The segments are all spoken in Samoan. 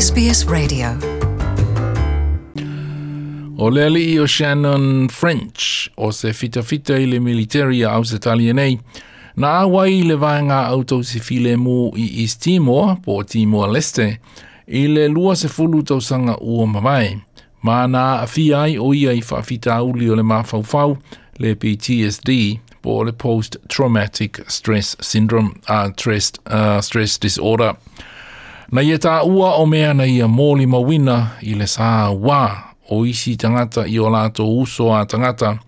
SBS Radio. O le alii o Shannon French o se fitafita i le military a Ausetalia nei, na auai i le vaega autausi filemu i East Timor, po o Timor-Leste, i le 20 tausaga ua mavae, ma na aafia ai o ia i faafitauli o le mafaufau, le PTSD, po o le Post Traumatic Stress Syndrome, Stress Disorder. Na ia taua o mea na ia molimauina i le sa wā o isi tagata i o latou uso a tagata,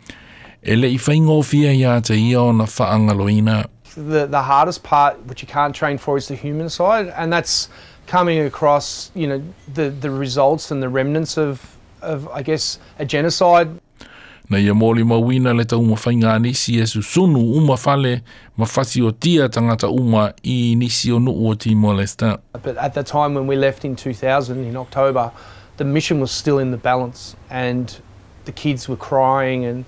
e le i faigofie ia te ia ona faagaloina. The hardest part, which you can't train for, is the human side, and that's coming across, the results and the remnants of, I guess, a genocide. Na ia molimauina le taumafaiga a nisi e susunu uma fale ma fasiotia tagata uma i nisi o nuu o Timor-Leste. But at the time when we left in 2000, in October, the mission was still in the balance, and the kids were crying and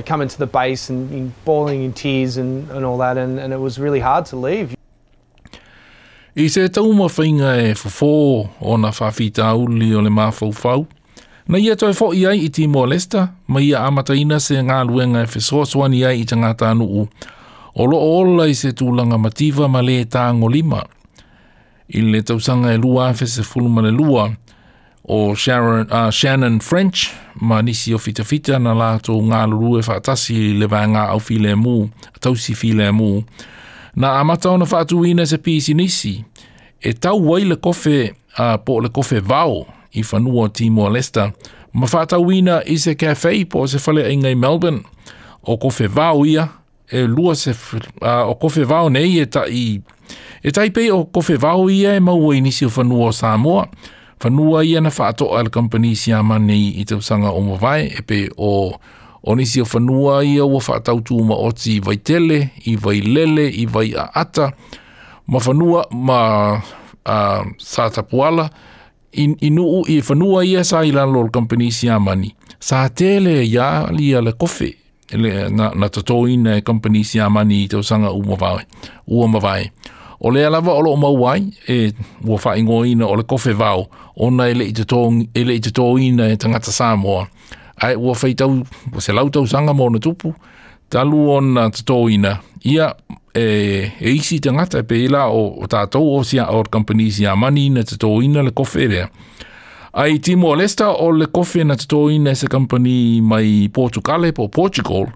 coming to the base and bawling in tears and all that, and it was really hard to leave. I se taumafaiga e fofo ona faafitauli o le mafaufau, na ia toe fo'i ai i Timor-Leste, ma ia amataina se galuega e fesoasoani ai i tagata nuu, o loo ola i se tulaga mativa ma le tagolima. I le tausaga e 2012, o Shannon French ma nisi o fitafita na latou galulue faatasi i le vaega au filemu, tausi filemu, na amata ona faatuina se pisinisi e tau ai le kofe, po o le kofe vao i fanua o Timor-Leste, ma faatauina i se cafe po o se faleaiga i Melbourne. O kofe vao ia, e lua se, o kofe vao nei e tai, e tai pei o kofe vao ia e maua i nisi o fanua o Samoa. Fanua ia na faatoa le company Siamani i tausaga o mavae, e pe o nisi o fanua ia ua faatautu maoti i Vaitele, i Vailele, i Vaiaata, ma fanua ma Satapuala, i nuu i fanua ia sa i lalo o le company Siamani. Sa tele ia lia le kofe, le, na tatoina e company Siamani i tausaga ua mavae. O lea lava o loo mau ai, e ua faaigoaina o le kofe vao, ona e le i totoina e tagata Samoa. Ai ua faitau, ua 100 tausaga ma ona tupu, talu ona totoina, ia e isi tagata e pei la o tatou o sia o company Siamani na totoina le kofe lea. Ai Timor-Leste o le kofe na totoina e se company mai Portugale po Portugal,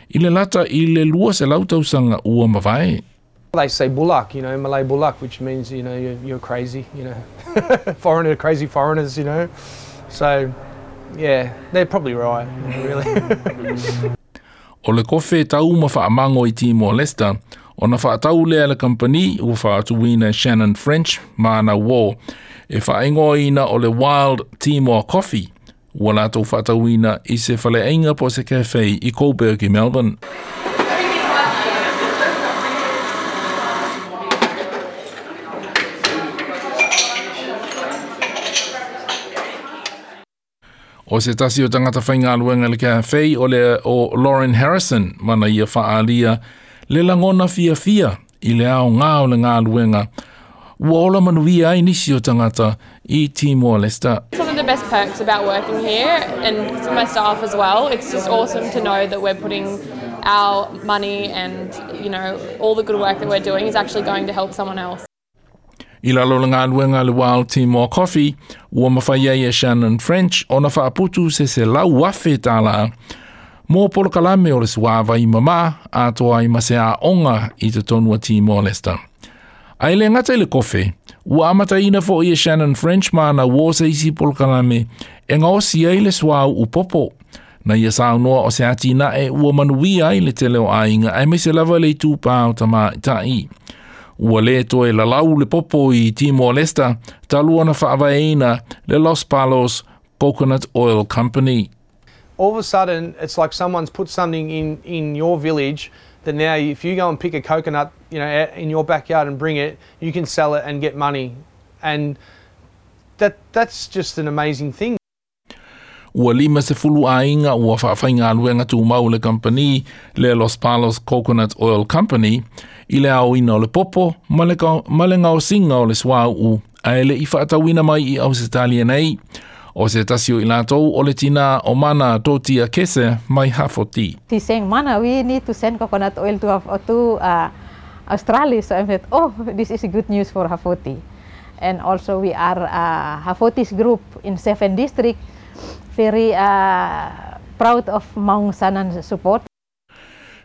i le lata i le 200 tausaga ua mavae. They say bulak, Malay bulak, which means, you're crazy, foreigner, crazy foreigners. So, yeah, they're probably right, really. O le kofe tau ma faamango i Timor-Leste, ona faatau lea le company ua faatuina Shannon French ma ana uo, e faaigoaina o le Wild Timor Coffee, ua latou faatauina i se faleaiga po o se cafe i Coburg i Melbourne. O se tasi o tagata faigaluega le cafe o le o Lauren Harrison, mana ia faalia le lagona fiafia i le aoga o le galuega. Ua ola manuia ai nisi o tagata i Timor-Leste. It's one of the best perks about working here, and for my staff as well. It's just awesome to know that we're putting our money and all the good work that we're doing is actually going to help someone else. I lalo le galuega le Wild Timor Coffee, ua mafai ai e Shannon French ona faaputu se $100,000 mo polokalame o le suavai mamā atoa ai ma se aoga i totonu o Timor-Leste. Ai le gata i le kofe, ua amataina fo'i e Shannon French ma ana uo se isi polokalame e gaosi ai le suau upopo. Na ia saunoa o se atinae ua manuia ai le tele o aiga aemaise lava le itupā o tamaitai. Ua le toe lalau le popo i Timor-Leste, talu ona faavaeina le Los Palos Coconut Oil Company. All of a sudden, it's like someone's put something in your village that now if you go and pick a coconut, in your backyard and bring it, you can sell it and get money. And that's just an amazing thing. Ua 50 aiga ua faafaigaluega tumau le company le Los Palos Coconut Oil Company i le aoina o le popo ma le gaosiga o le suauu Ae le i faatauina mai i Ausetalia nei. O se tasi o i latou o le tina o Mana Totia Kese mai Hafoti. He's saying, "Mana, we need to send coconut oil to Australia." So I said, "Oh, this is good news for Hafoti." And also we are Hafoti's group in seven district, very proud of Maung Sanan's support.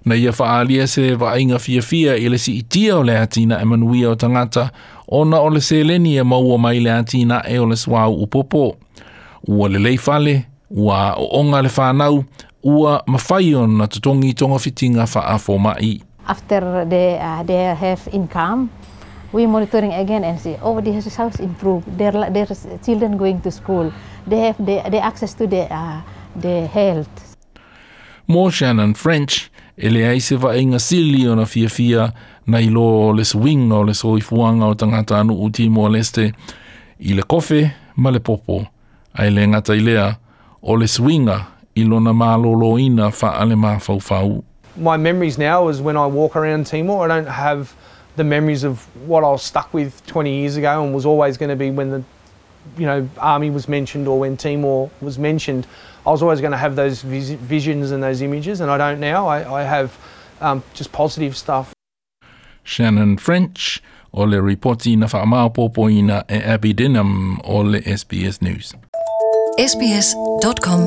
Na ia faaalia se vaaiga fiafia i le siitia o le atinae manuia o tagata ona o le seleni e maua mai le atinae o le suauu popo. Ua lelei fale, ua aooga le fanau, ua mafai ona totogi togafitiga faafoma'i. After they have income, we monitoring again and see, oh, this house improved. Their children going to school. They have the access to the health. Mo Shannon French, e leai se vaaiga sili ona fiafia nai lo le suiga o le soifuaga o tagatanuu Timor Leste i le kofe ma le popo, ae le gata i lea, o le suiga i lona malōlōina faalemafaufau. My memories now is when I walk around Timor, I don't have the memories of what I was stuck with 20 years ago and was always going to be when the army was mentioned or when Timor was mentioned. I was always going to have those visions and those images, and I don't now. I have just positive stuff. Shannon French o le ripoti na faamaopoopoina e Abby Dinham o le SBS News. sbs.com.au.